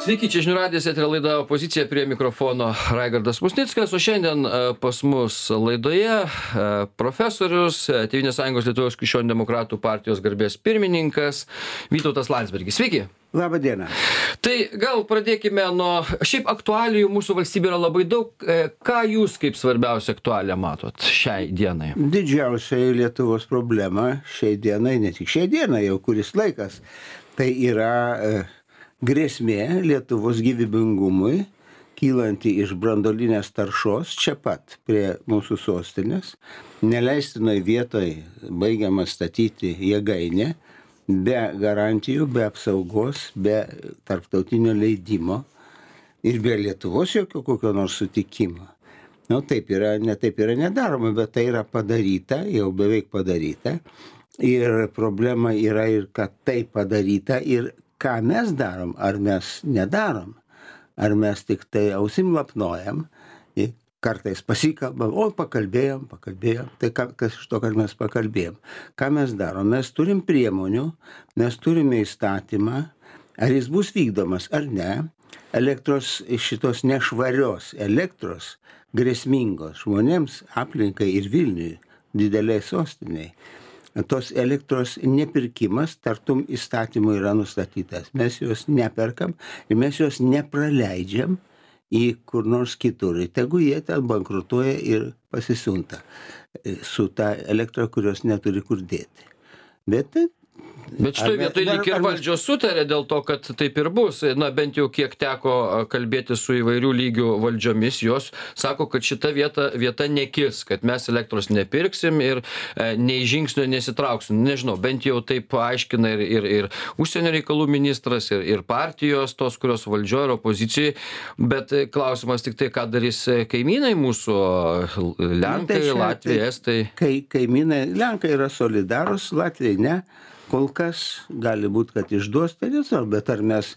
Sveiki, čia žinių radijas, eterio laida Opozicija, prie mikrofono Raigardas Musnickas, o šiandien pas mus laidoje profesorius, Tėvynės sąjungos Lietuvos krikščionių demokratų partijos garbės pirmininkas Vytautas Landsbergis. Sveiki. Labą dieną. Tai gal pradėkime nuo, šiaip aktualijų mūsų valstybė yra labai daug. Ką jūs kaip svarbiausia aktualią matot šiai dienai? Didžiausia Lietuvos problema šiai dienai, ne tik šiai dienai, jau kuris laikas, tai yra grėsmė Lietuvos gyvybingumui, kylanti iš branduolinės taršos čia pat prie mūsų sostinės, neleistinoj vietoj baigiama statyti jėgainę, be garantijų, be apsaugos, be tarptautinio leidimo ir be Lietuvos jokio kokio nors sutikimo. Taip yra nedaroma, bet tai yra padaryta, jau beveik padaryta. Ir problema yra ir kad tai padaryta ir ką mes darom, ar mes nedarom, ar mes tik tai ausim lapnojam, kartais pasikalbam, pakalbėjom, tai kas iš to, kad mes pakalbėjom. Ką mes darom? Mes turim priemonių, mes turime įstatymą, ar jis bus vykdomas ar ne, elektros šitos nešvarios elektros, grėsmingos žmonėms, aplinkai ir Vilniui, dideliai sostiniai. Tos elektros nepirkimas tartum įstatymų yra nustatytas. Mes jos neperkam ir mes jos nepraleidžiam į kur nors kitur. Tegu jie ten bankrutuoja ir pasisiunta su ta elektra, kurios neturi kur dėti. Bet šitoje vietoje lyg ir valdžios sutarė dėl to, kad taip ir bus. Bent jau kiek teko kalbėti su įvairių lygių valdžiomis, jos sako, kad šita vieta nekis, kad mes elektros nepirksim ir nei žingsnio nesitrauksim. Nežinau, bent jau taip aiškina ir užsienio reikalų ministras, ir partijos tos, kurios valdžioje ir opozicijoje. Bet klausimas tik tai, ką darys kaimynai mūsų, Lenkai, Latvijai, Estai. Kaimynai, Lenkai yra solidarūs, Latvijai ne. Kol kas gali būti, kad išduos, tai nesvarbu, bet ar mes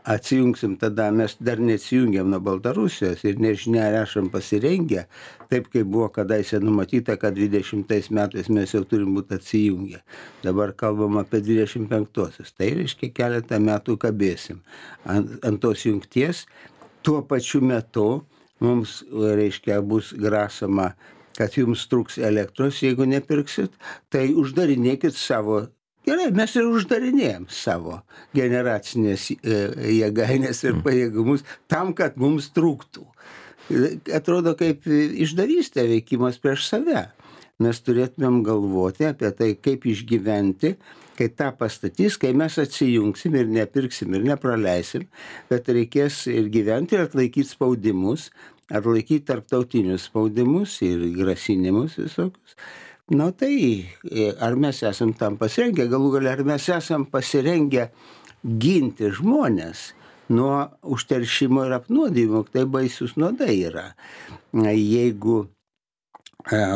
atsijungsim tada, mes dar neatsijungiam nuo Baltarusijos ir nežinia, ar esam pasirengę, taip kaip buvo kadaise numatyta, kad 20 metais mes jau turim būti atsijungę. Dabar kalbam apie 25-osius, tai reiškia keletą metų kabėsim ant tos jungties. Tuo pačiu metu mums, reiškia, bus grasama, kad jums truks elektros, jeigu nepirksit, tai uždarinėkit savo. Gerai, mes ir uždarinėjom savo generacinės jėgainės ir pajėgumus tam, kad mums trūktų. Atrodo kaip išdavystė veikimas prieš save. Mes turėtumėm galvoti apie tai, kaip išgyventi, kai tą pastatys, kai mes atsijungsim ir nepirksim ir nepraleisim, bet reikės ir gyventi ir atlaikyti spaudimus, atlaikyti tarptautinius spaudimus ir grasinimus visokius. Tai ar mes esam tam pasirengę, galų galia, ar mes esam pasirengę ginti žmonės nuo užteršimo ir apnuodimo, tai baisus nuodai yra. Jeigu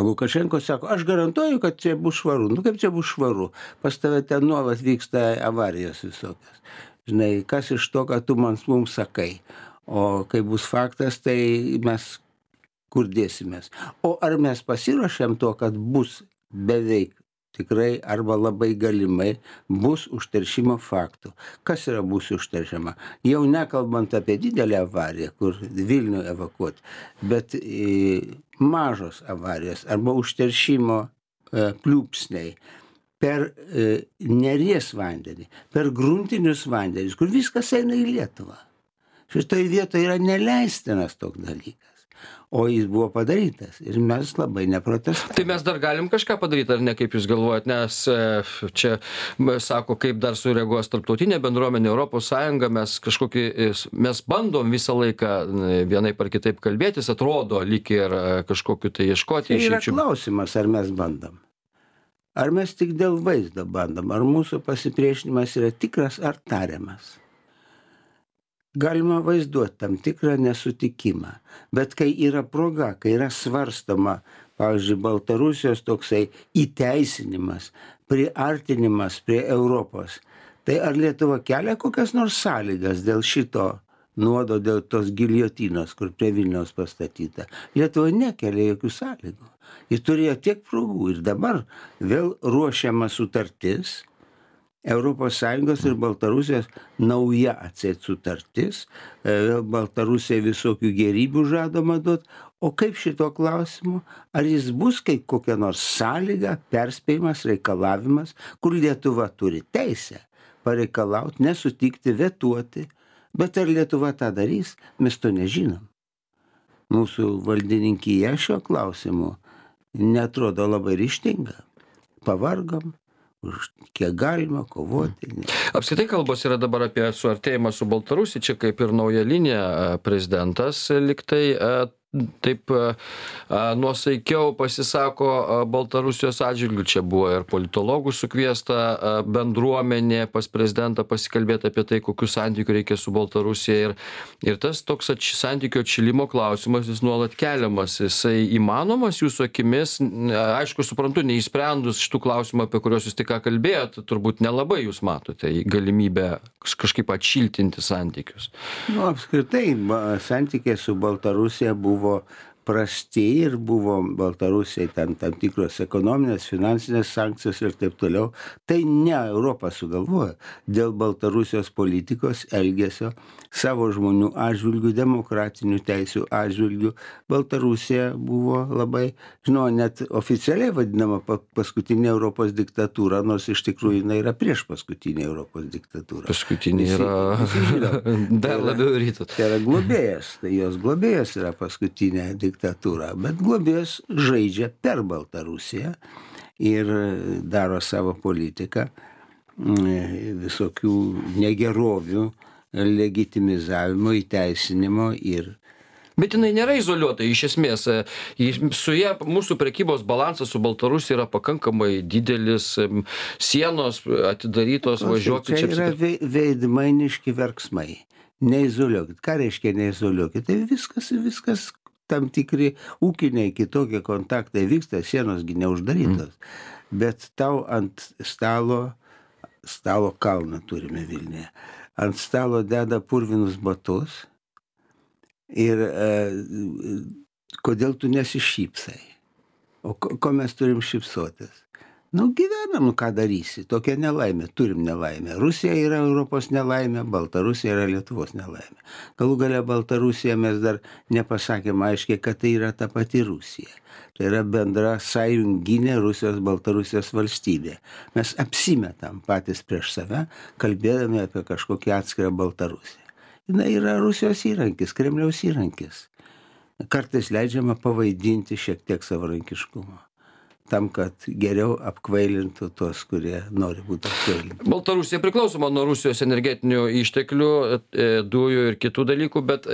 Lukašenko sako, aš garantuoju, kad čia bus švaru. Kaip čia bus švaru? Pas tave ten nuolat vyksta avarijos visokios. Žinai, kas iš to, kad tu mums sakai? O kai bus faktas, tai mes kur dėsimės. O ar mes pasiruošėm to, kad bus beveik tikrai arba labai galimai bus užteršimo faktų. Kas yra bus užteršiama? Jau nekalbant apie didelę avariją, kur Vilnių evakuoti, bet mažos avarijos arba užteršimo pliūpsniai per Neries vandenį, per gruntinius vandenis, kur viskas eina į Lietuvą. Šitoje vietoje yra neleistinas toks dalykas. O jis buvo padarytas ir mes labai neprotestavome. Tai mes dar galim kažką padaryti, ar ne, kaip jūs galvojat, nes čia sako, kaip dar sureaguos tarptautinė bendruomenė, Europos Sąjunga, mes bandom visą laiką vienaip ar kitaip kalbėtis, atrodo, lyg ir kažkokiu tai ieškoti. Tai yra klausimas, ar mes bandom. Ar mes tik dėl vaizdo bandom, ar mūsų pasipriešinimas yra tikras ar tariamas. Galima vaizduoti tam tikrą nesutikimą, bet kai yra proga, kai yra svarstoma, pavyzdžiui, Baltarusijos toksai įteisinimas, priartinimas prie Europos, tai ar Lietuva kelia kokias nors sąlygas dėl šito nuodo, dėl tos giljotinos, kur prie Vilniaus pastatyta? Lietuva nekelia jokių sąlygų. Ji turėjo tiek progų ir dabar vėl ruošiama sutartis, ES ir Baltarusijos nauja atseit sutartis, Baltarusija visokių gerybių žadama duoti, o kaip šito klausimu, ar jis bus kaip kokia nors sąlyga, perspėjimas, reikalavimas, kur Lietuva turi teisę pareikalauti, nesutikti, vetuoti, bet ar Lietuva tą darys, mes to nežinom. Mūsų valdininkija šiuo klausimu netrodo labai ryžtinga. Pavargom, už kiek galima kovoti. Apskritai kalbos yra dabar apie suartėjimą su Baltarusija, čia kaip ir nauja linija prezidentas liktai taip nuosaikiau pasisako Baltarusijos atžvilgiu. Čia buvo ir politologų sukviesta bendruomenė pas prezidentą pasikalbėti apie tai, kokių santykių reikia su Baltarusija. Ir tas toks santykių atšilimo klausimas jis nuolat keliamas. Jisai įmanomas jūsų akimis, aišku, suprantu, neįsprendus šitų klausimų, apie kuriuos jūs tik ką kalbėjot, turbūt nelabai jūs matote galimybę kažkaip atšiltinti santykius. Apskritai, santykiai su Baltarusija buvo prasti ir buvo Baltarusijai tam tikros ekonominės, finansinės sankcijos ir taip toliau. Tai ne Europa sugalvojo. Dėl Baltarusijos politikos elgesio savo žmonių atžvilgių, demokratinių teisių atžvilgių Baltarusija buvo labai, net oficialiai vadinama paskutinė Europos diktatūra, nors iš tikrųjų jinai yra prieš paskutinę Europos diktatūrą. Paskutinė yra dar labiau rytus. Tai yra globėjas, tai jos globėjas yra paskutinė diktatūra, bet globėjas žaidžia per Baltarusiją ir daro savo politiką visokių negerovių legitimizavimo, įteisinimo ir Bet jinai nėra izoliuota, iš esmės. Su ja mūsų prekybos balansas su Baltarusija yra pakankamai didelis, sienos atidarytos, važiuokit. Čia yra veidmainiški verksmai. Neizoliuokit. Ką reiškia neizoliuokit? Tai viskas tam tikri ūkiniai kitokie kontaktai vyksta, sienosgi neuždarytos. Bet tau ant stalo kalną turime Vilniuje. Ant stalo deda purvinus batus ir kodėl tu nesišypsai? O ko mes turim šypsotis? Gyvenam, ką darysi, tokia nelaimė, turim nelaimę. Rusija yra Europos nelaimė, Baltarusija yra Lietuvos nelaimė. Galų gale Baltarusija mes dar nepasakėm aiškiai, kad tai yra ta pati Rusija. Tai yra bendra sąjunginė Rusijos-Baltarusijos valstybė. Mes apsimetam patys prieš save, kalbėdami apie kažkokį atskirą Baltarusiją. Jis yra Rusijos įrankis, Kremliaus įrankis. Kartais leidžiama pavaidinti šiek tiek savarankiškumo, tam, kad geriau apkvailintų tuos, kurie nori būti apkvailinti. Baltarusija priklausoma nuo Rusijos energetinių išteklių, dujų ir kitų dalykų, bet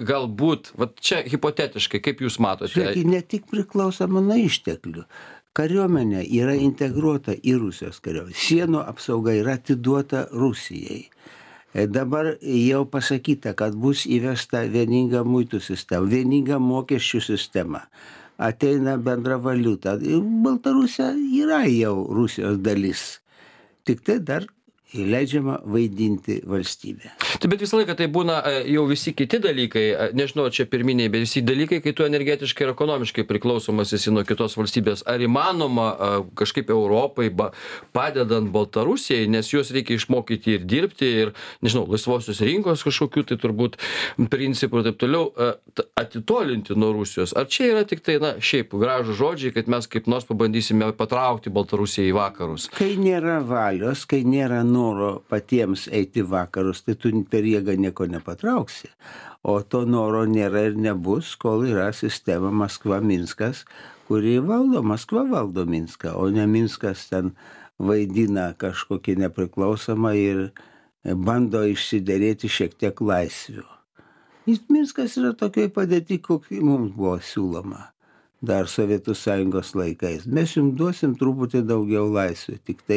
galbūt, čia hipotetiškai, kaip jūs matote? Žiūrėk, ne tik priklausoma nuo išteklių. Kariuomenė yra integruota į Rusijos kariuomenę. Sienų apsauga yra atiduota Rusijai. Dabar jau pasakyta, kad bus įvesta vieninga muitų sistema, vieninga mokesčių sistema. Ateina bendra valiuta. Baltarusija yra jau Rusijos dalis. Tik tai dar leidžiama vaidinti valstybę. Bet visą laiką tai būna jau visi kiti dalykai, nežinau, čia pirminiai, bet visi dalykai, kai tu energetiškai ir ekonomiškai priklausomas esi nuo kitos valstybės. Ar įmanoma kažkaip Europai padedant Baltarusijai, nes juos reikia išmokyti ir dirbti, ir, nežinau, laisvosios rinkos kažkokių, tai turbūt principų ir taip toliau, atitolinti nuo Rusijos. Ar čia yra tik tai, šiaip gražų žodžiai, kad mes kaip nors pabandysime patraukti Baltarusiją į vakarus? Kai nėra valios, kai nėra noro patiems eiti vakarus, tai tu per jėgą nieko nepatrauksi. O to noro nėra ir nebus, kol yra sistema Maskva-Minskas, kuri valdo, Maskva valdo Minską, o ne Minskas ten vaidina kažkokį nepriklausomą ir bando išsiderėti šiek tiek laisvių. Minskas yra tokioj padėti, kokia mums buvo siūloma dar Sovietų Sąjungos laikais. Mes jums duosim truputį daugiau laisvių, tik tai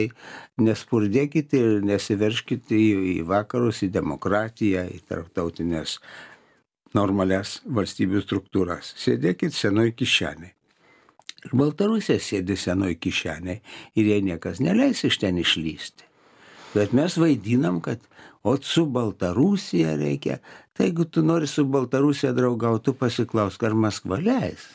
nespurdėkite ir nesiverškite į vakarus, į demokratiją, į tarptautinės normalias valstybių struktūras. Sėdėkit senoj kišenėj. Ir Baltarusija sėdi senoj kišenėj ir jai niekas neleis iš ten išlysti. Bet mes vaidinam, kad su Baltarusija reikia. Tai jeigu tu nori su Baltarusija draugauti, tu pasiklausk, ar Maskva leis.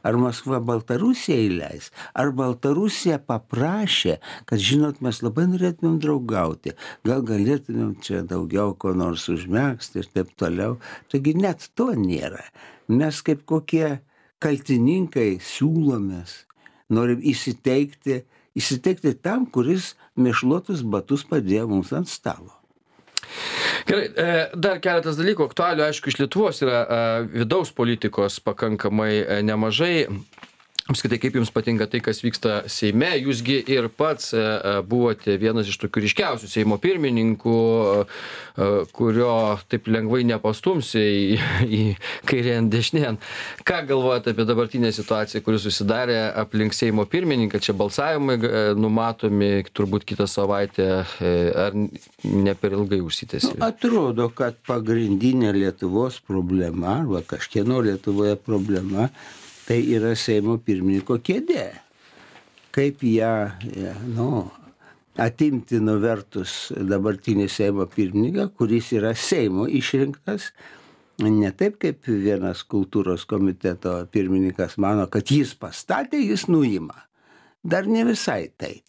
Ar Maskva Baltarusiją įleis? Ar Baltarusija paprašė, kad, žinot, mes labai norėtumėm draugauti, gal galėtumėm čia daugiau ko nors užmegzti ir taip toliau. Taigi net to nėra. Mes kaip kokie kaltininkai siūlomės, norim įsiteikti tam, kuris mėšlotus batus padėjo mums ant stalo. Gerai, dar keletas dalykų aktualių, aišku, iš Lietuvos yra vidaus politikos pakankamai nemažai. Apskritai, kaip jums patinka tai, kas vyksta Seime? Jūsgi ir pats buvote vienas iš tokių ryškiausių Seimo pirmininkų, kurio taip lengvai nepastumsi į kairėn dešinėn. Ką galvojate apie dabartinę situaciją, kuri susidarė aplink Seimo pirmininką? Čia balsavimai numatomi turbūt kitą savaitę, ar ne per ilgai užsitęsė? Atrodo, kad pagrindinė Lietuvos problema, arba kažkieno Lietuvoje problema, tai yra Seimo pirmininko kėdė. Kaip ją, atimti nuvertus dabartinį Seimo pirmininką, kuris yra Seimo išrinktas, ne taip kaip vienas kultūros komiteto pirmininkas mano, kad jis pastatė, jis nuima. Dar ne visai taip.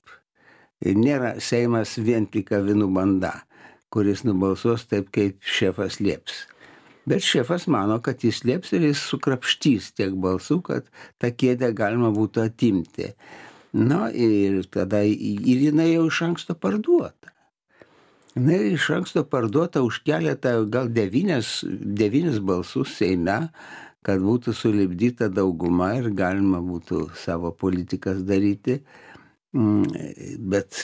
Nėra Seimas vien tik avinų banda, kuris nubalsuos taip, kaip šefas lieps. Bet šefas mano, kad jis lieps ir jis sukrapštys tiek balsų, kad tą kėdę galima būtų atimti. Na ir tada ir jinai jau iš anksto parduota. Jinai iš anksto parduota už keletą, gal 9 balsus Seime, kad būtų sulipdyta dauguma ir galima būtų savo politikas daryti. Bet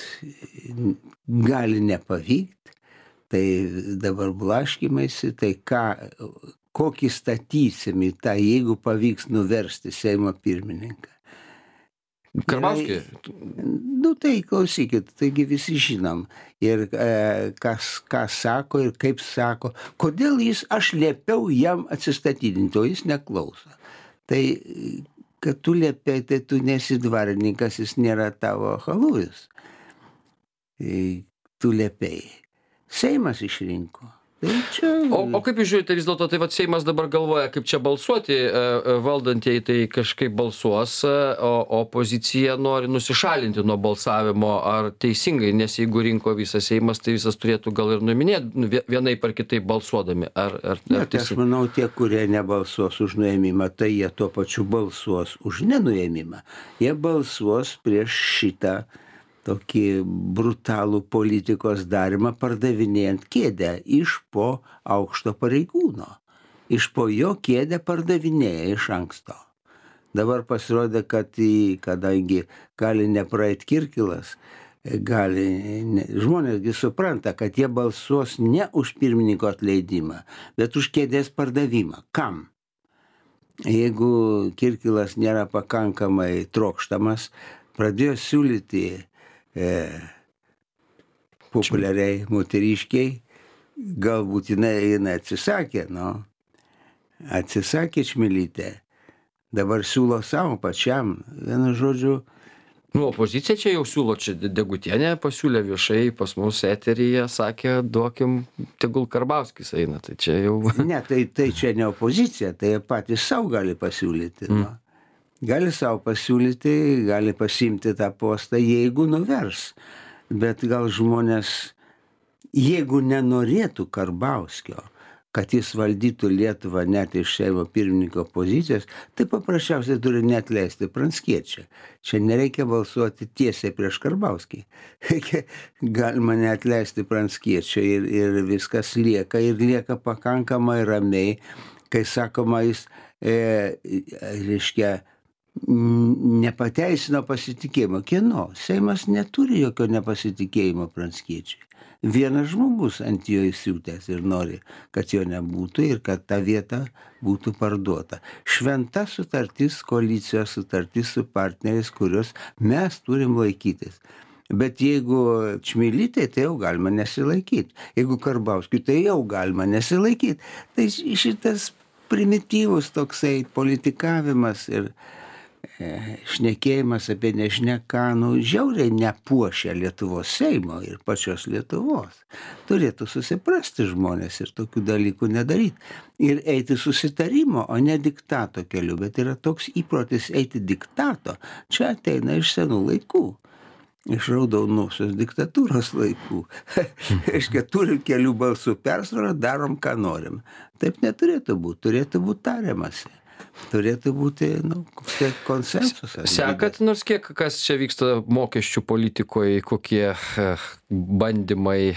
gali nepavykti. Tai dabar blaškymaisi, tai kokį statysim į tą, jeigu pavyks nuversti Seimo pirmininką. Karbauskį? Tai klausykit, taigi visi žinom. Ir ką sako ir kaip sako. Kodėl aš liepiau jam atsistatydinti, o jis neklauso. Tai, kad tu liepiai, tai tu nesi dvarininkas, jis nėra tavo halujus. Tu liepiai. Seimas išrinko. O kaip jūs žiūrite vis dėlto, tai Seimas dabar galvoja, kaip čia balsuoti, valdantieji tai kažkaip balsuos, o opozicija nori nusišalinti nuo balsavimo, ar teisingai, nes jeigu rinko visas Seimas, tai visas turėtų gal ir nuiminėti vienaip ar kitaip balsuodami. Aš manau, tie, kurie nebalsuos už nuėmimą, tai jie tuo pačiu balsuos už nenuėmimą. Jie balsuos prieš šitą tokį brutalų politikos darymą, pardavinėjant kėdę iš po aukšto pareigūno. Iš po jo kėdę pardavinėja iš anksto. Dabar pasirodė, kad kadangi gali nepraeit Kirkilas, žmonėsgi supranta, kad jie balsuos ne už pirmininko atleidimą, bet už kėdės pardavimą. Kam? Jeigu Kirkilas nėra pakankamai trokštamas, pradėjo siūlyti populiariai moteriškiai, galbūt jinai atsisakė, atsisakė Čmilytė, dabar siūlo savo pačiam, vienu žodžiu. Opozicija čia jau siūlo, čia Degutienė pasiūlė viešai pas mus eteryje, sakė, duokim, tegul Karbauskis eina, tai čia jau. Ne, tai čia ne opozicija, tai patys savo gali pasiūlyti, Gali savo pasiūlyti, gali pasiimti tą postą, jeigu nuvers. Bet gal žmonės, jeigu nenorėtų Karbauskio, kad jis valdytų Lietuvą net iš Seimo pirmininko pozicijos, tai paprasčiausiai turi neatleisti Pranckiečio. Čia nereikia balsuoti tiesiai prieš Karbauskį. Galima neatleisti Pranckiečio ir viskas lieka pakankamai ramiai, kai sakoma, jis, reiškia, nepateisino pasitikėjimo. Kieno? Seimas neturi jokio nepasitikėjimo Pranckiečiui. Vienas žmogus ant jo įsiūtęs ir nori, kad jo nebūtų ir kad ta vieta būtų parduota. Šventa sutartis, koalicijos sutartis su partneriais, kurios mes turim laikytis. Bet jeigu Čmilytė, tai jau galima nesilaikyti. Jeigu Karbauskiui, tai jau galima nesilaikyti. Tai šitas primityvus toksai politikavimas ir šnekėjimas apie nežinia ką, žiauriai nepuošia Lietuvos Seimo ir pačios Lietuvos. Turėtų susiprasti žmonės ir tokių dalykų nedaryti. Ir eiti susitarimo, o ne diktato keliu. Bet yra toks įprotis eiti diktato. Čia ateina iš senų laikų. Iš raudonosios diktatūros laikų. Reiškia, turim kelių balsų persvarą, darom, ką norim. Taip neturėtų būti. Turėtų būti tariamasi. Turėtų būti konsensusas. Sekat nors kiek, kas čia vyksta mokesčių politikoje, kokie bandymai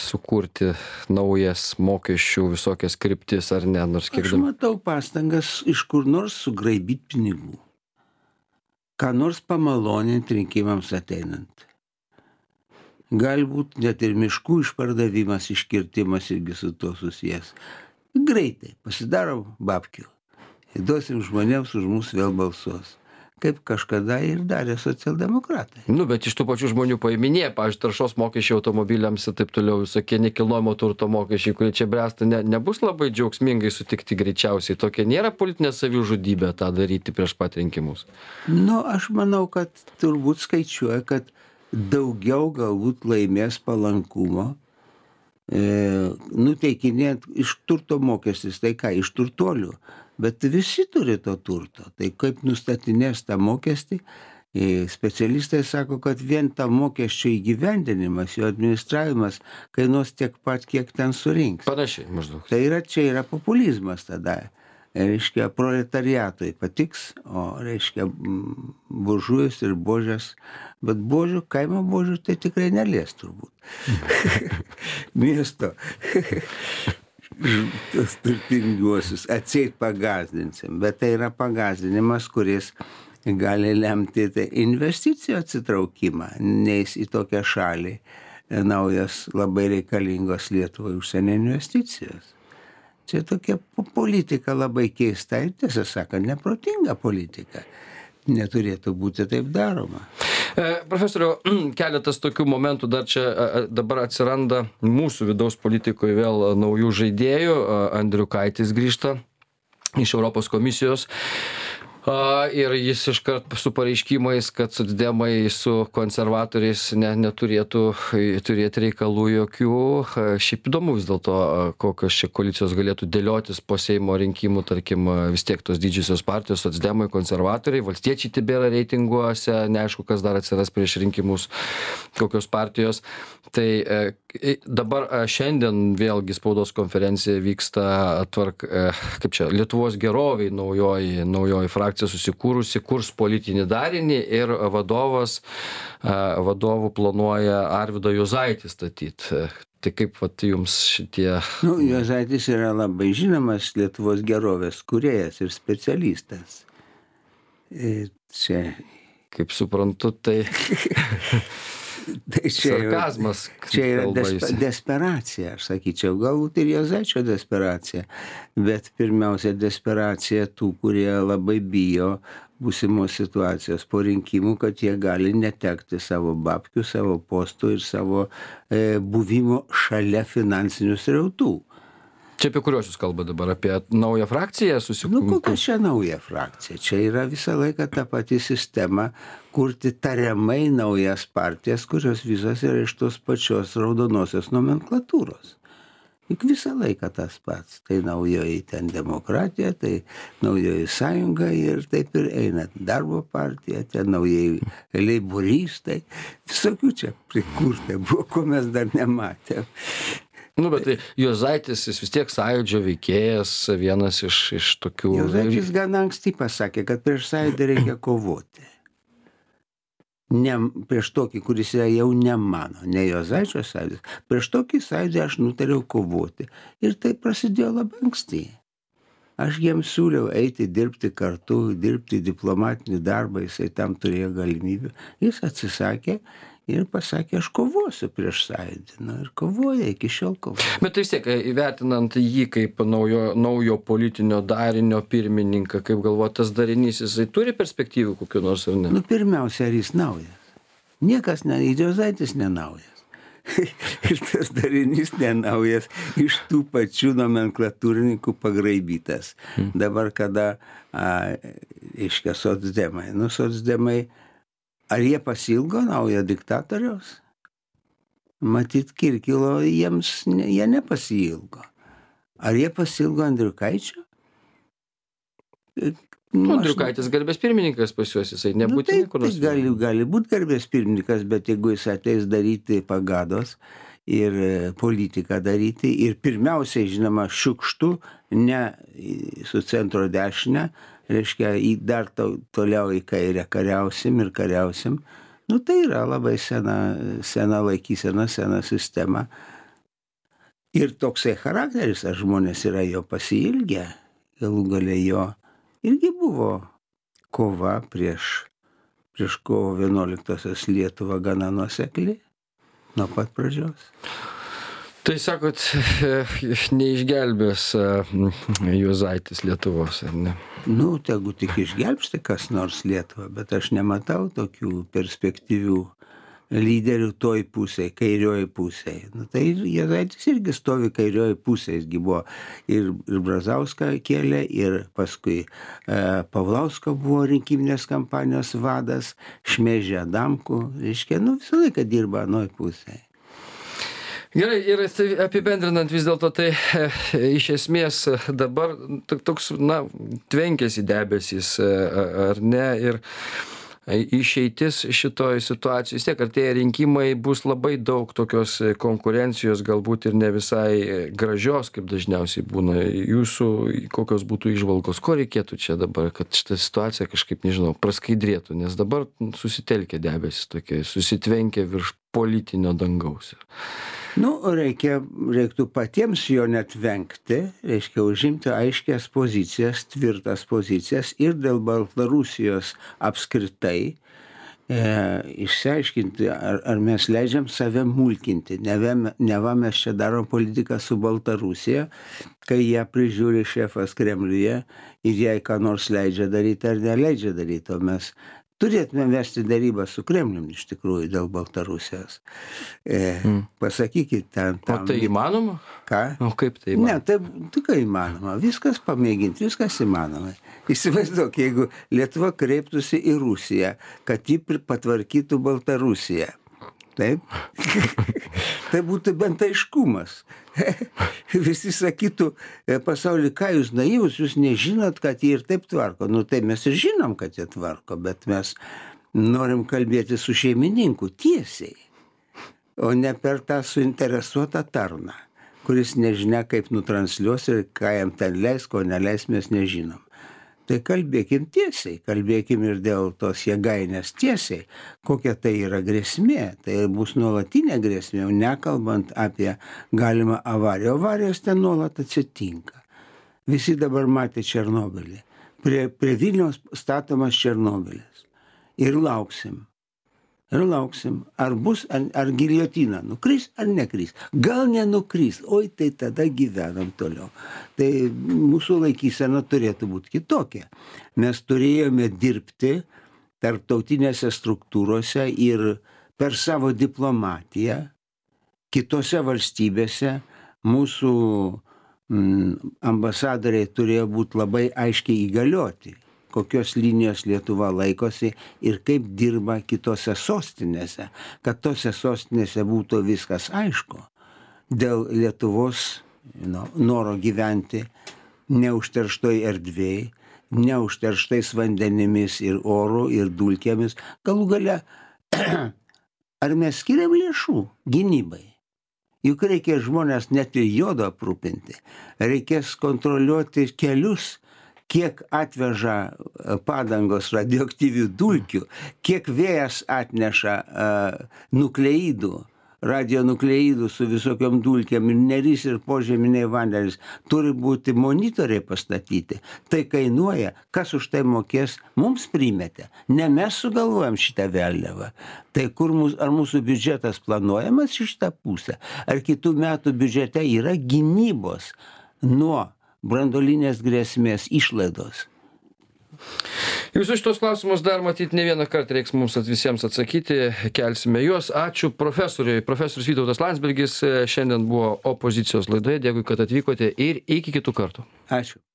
sukurti naujas mokesčių visokias kryptis ar ne, nors kiek. Aš matau pastangas iš kur nors sugraibyti pinigų. Ką nors pamaloninti rinkimams ateinant. Galbūt net ir miškų išpardavimas, iškirtimas irgi su to susijęs. Greitai pasidarom babkių. Duosim žmonėms, už mus vėl balsuos. Kaip kažkada ir darė socialdemokratai. Bet iš tų pačių žmonių paiminėja, pavyzdžiui, taršos mokesčiai automobiliams ir taip toliau, visokie nekilnojamo turto mokesčiai, kurie čia bręsta, nebus labai džiaugsmingai sutikti greičiausiai. Tokia nėra politinė savižudybė tą daryti prieš pat rinkimus. Aš manau, kad turbūt skaičiuoja, kad daugiau galbūt laimės palankumo, nuteikinėjant iš turto mokestis, tai ką, iš turtuolių. Bet visi turi to turto. Tai kaip nustatinės tą mokestį, specialistai sako, kad vien tą mokesčio įgyvendinimas, jo administravimas kainuos tiek pat, kiek ten surinks. Panašiai maždaug. Tai čia yra populizmas tada. Reiškia, proletariatui patiks, o reiškia, buržujas ir božės. Bet božių, kaimo božių tai tikrai nelies turbūt. Miesto. Tos turtingiuosius atseit pagazdinsim, bet tai yra pagazdinimas, kuris gali lemti investicijų atsitraukimą, neis į tokią šalį naujas labai reikalingos Lietuvai užsienio investicijos. Čia tokia politika labai keista ir tiesą sakant, neprotinga politika. Neturėtų būti taip daroma. Profesoriau, keletas tokių momentų dar čia dabar atsiranda mūsų vidaus politikoje vėl naujų žaidėjų. Andriukaitis grįžta iš Europos komisijos. Ir jis iškart su pareiškimais, kad socdemai su konservatoriais neturėtų turėti reikalų jokių. Šiaip įdomu vis dėlto, kokios čia koalicijos galėtų dėliotis po Seimo rinkimų, tarkim, vis tiek tos didžiosios partijos, socdemai, konservatoriai, valstiečiai tebėra reitinguose, neaišku, kas dar atsiras prieš rinkimus, kokios partijos. Tai dabar šiandien vėlgi spaudos konferencija vyksta kaip čia, Lietuvos geroviai naujoji frakcija susikūrusi, kurs politinį darinį ir vadovų planuoja Arvydą Juozaitį statyti. Tai kaip jums šitie... Juozaitis yra labai žinomas Lietuvos gerovės kūrėjas ir specialistas. Čia... Kaip suprantu, tai... Tai sarkazmas. Čia yra desperacija, aš sakyčiau, galbūt ir Juozaičio desperacija, bet pirmiausia desperacija tų, kurie labai bijo būsimos situacijos po rinkimų, kad jie gali netekti savo babkių, savo postų ir savo buvimo šalia finansinių srautų. Čia apie kuriuos jūs kalbate dabar? Apie naują frakciją susikūrimo? Kokia čia nauja frakcija? Čia yra visą laiką ta pati sistema kurti tariamai naujas partijas, kurios visos yra iš tos pačios raudonosios nomenklatūros. Juk visą laiką tas pats. Tai naujoji ten demokratija, tai naujoji sąjunga ir taip ir eina. Darbo partija, ten naujai leiboristai. Visokių čia prikurta buvo, ko mes dar nematėm. Bet tai Juozaitis, jis vis tiek sąjūdžio veikėjas, vienas iš tokių... Juozaitis gana anksti pasakė, kad prieš sąjūdį reikia kovoti. Ne prieš tokį, kuris yra jau ne mano, ne Juozaičio sąjūdis. Prieš tokį sąjūdį aš nutariau kovoti. Ir tai prasidėjo labai anksti. Aš jiems siūliau eiti dirbti kartu, dirbti diplomatinį darbą, jisai tam turėjo galimybių. Jis atsisakė ir pasakė, aš kovosiu prieš sąjūdį. Ir kovoja, iki šiol kovoja. Bet tai vis tiek, įvertinant jį kaip naujo politinio darinio pirmininką, kaip galvoti, tas darinys, jisai turi perspektyvų kokių nors ar ne? Pirmiausia, ar jis naujas? Niekas, Juozaitis nenaujas. ir tas darinys nenaujas, iš tų pačių nomenklatūrininkų pagraibytas. Dabar kada, reiškia, socdemai, socdemai, ar jie pasilgo naujo diktatoriaus? Matyt, Kirkilo jie nepasiilgo. Ar jie pasilgo Andriukaičio? Andriukaitis garbės pirmininkas pas juos, jisai nebūtinai kur nors. Gali būti garbės pirmininkas, bet jeigu jis ateis daryti pagados ir politiką daryti, ir pirmiausiai, žinoma, šiukštų, ne su centro dešinę, reiškia, dar toliau į kairę kariausim, tai yra labai sena laikysena, sena sistema. Ir toksai charakteris, ar žmonės yra jo pasiilgę, galų gale jo irgi buvo kova prieš kovo 11-osios Lietuvą gana nuosekli nuo pat pradžios. Tai sakot, neišgelbės Juozaitis Lietuvos, ar ne? Tegu tik išgelbsti kas nors Lietuvą, bet aš nematau tokių perspektyvių lyderių toj pusėj, kairioj pusėj. Tai Juozaitis irgi stovi kairioj pusėj, jisgi buvo ir Brazauską kėlė, ir paskui Paulauską buvo rinkiminės kampanijos vadas, šmeižė Adamkų, reiškia, visą laiką dirba anoj pusėj. Gerai, ir apibendrinant vis dėlto, tai iš esmės dabar toks, tvenkiasi debesys, ar ne, ir išeitis šitoj situacijoj, vis tiek artėja rinkimai, bus labai daug tokios konkurencijos, galbūt ir ne visai gražios, kaip dažniausiai būna. Jūsų kokios būtų įžvalgos, ko reikėtų čia dabar, kad šitą situaciją kažkaip, nežinau, praskaidrėtų, nes dabar susitelkia debesis tokie, susitvenkia virš politinio dangaus. Reiktų patiems jo net vengti, reiškia užimti aiškias pozicijas, tvirtas pozicijas ir dėl Baltarusijos apskritai išsiaiškinti, ar mes leidžiam save mulkinti. Neva mes čia darom politiką su Baltarusija, kai ją prižiūri šefas Kremliuje ir jai ką nors leidžia daryti ar neleidžia daryti, o mes turėtume vesti darybą su Kremliumi iš tikrųjų dėl Baltarusijos. Pasakykit ten. O tai įmanoma? Ką? O kaip tai įmanoma? Ne, tai ką įmanoma. Viskas pamėginti, viskas įmanoma. Įsivaizduok, jeigu Lietuva kreiptųsi į Rusiją, kad ji patvarkytų Baltarusiją. Taip? Tai būtų bent aiškumas. Visi sakytų pasaulį, ką jūs naivus, jūs nežinot, kad jie ir taip tvarko. Tai mes ir žinom, kad jie tvarko, bet mes norim kalbėti su šeimininku tiesiai, o ne per tą suinteresuotą tarną, kuris nežinia, kaip nutransliuos ir ką jam ten leis, ko neleis, mes nežinom. Tai kalbėkim tiesiai, kalbėkim ir dėl tos jėgainės tiesiai, kokia tai yra grėsmė. Tai bus nuolatinė grėsmė, jau nekalbant apie galimą avariją. Avarijos ten nuolat atsitinka. Visi dabar matė Černobylį. Prie Vilniaus statomas Černobylis. Ir lauksim. Ar bus, ar giljotina nukris, ar nekris. Gal nenukris, oi tai tada gyvenam toliau. Tai mūsų laikysena turėtų būti kitokia. Mes turėjome dirbti tarptautinėse struktūrose ir per savo diplomatiją kitose valstybėse mūsų ambasadoriai turėjo būti labai aiškiai įgalioti, kokios linijos Lietuva laikosi ir kaip dirba kitose sostinėse, kad tose sostinėse būtų viskas aišku. Dėl Lietuvos noro gyventi neužterštoj erdvėj, neužterštais vandenimis ir oru ir dulkėmis. Galų gale, ar mes skiriam lėšų gynybai? Juk reikia žmonės net ir jodo aprūpinti. Reikės kontroliuoti kelius, kiek atveža padangos radioaktyvių dulkių, kiek vėjas atneša nukleidų, radionukleidų su visokiom dulkėm, ir neris ir požeminiai vandenys. Turi būti monitoriai pastatyti. Tai kainuoja, kas už tai mokės, mums primetė. Ne mes sugalvojam šitą vėliavą. Tai ar mūsų biudžetas planuojamas į šitą pusę? Ar kitų metų biudžete yra gynybos nuo branduolinės grėsmės išlaidos? Visus šitos klausimus dar matyt ne vieną kartą reiks mums visiems atsakyti, kelsime juos. Ačiū profesoriui. Profesorius Vytautas Landsbergis šiandien buvo opozicijos laidoje. Dėkui, kad atvykote ir iki kitų kartų. Ačiū.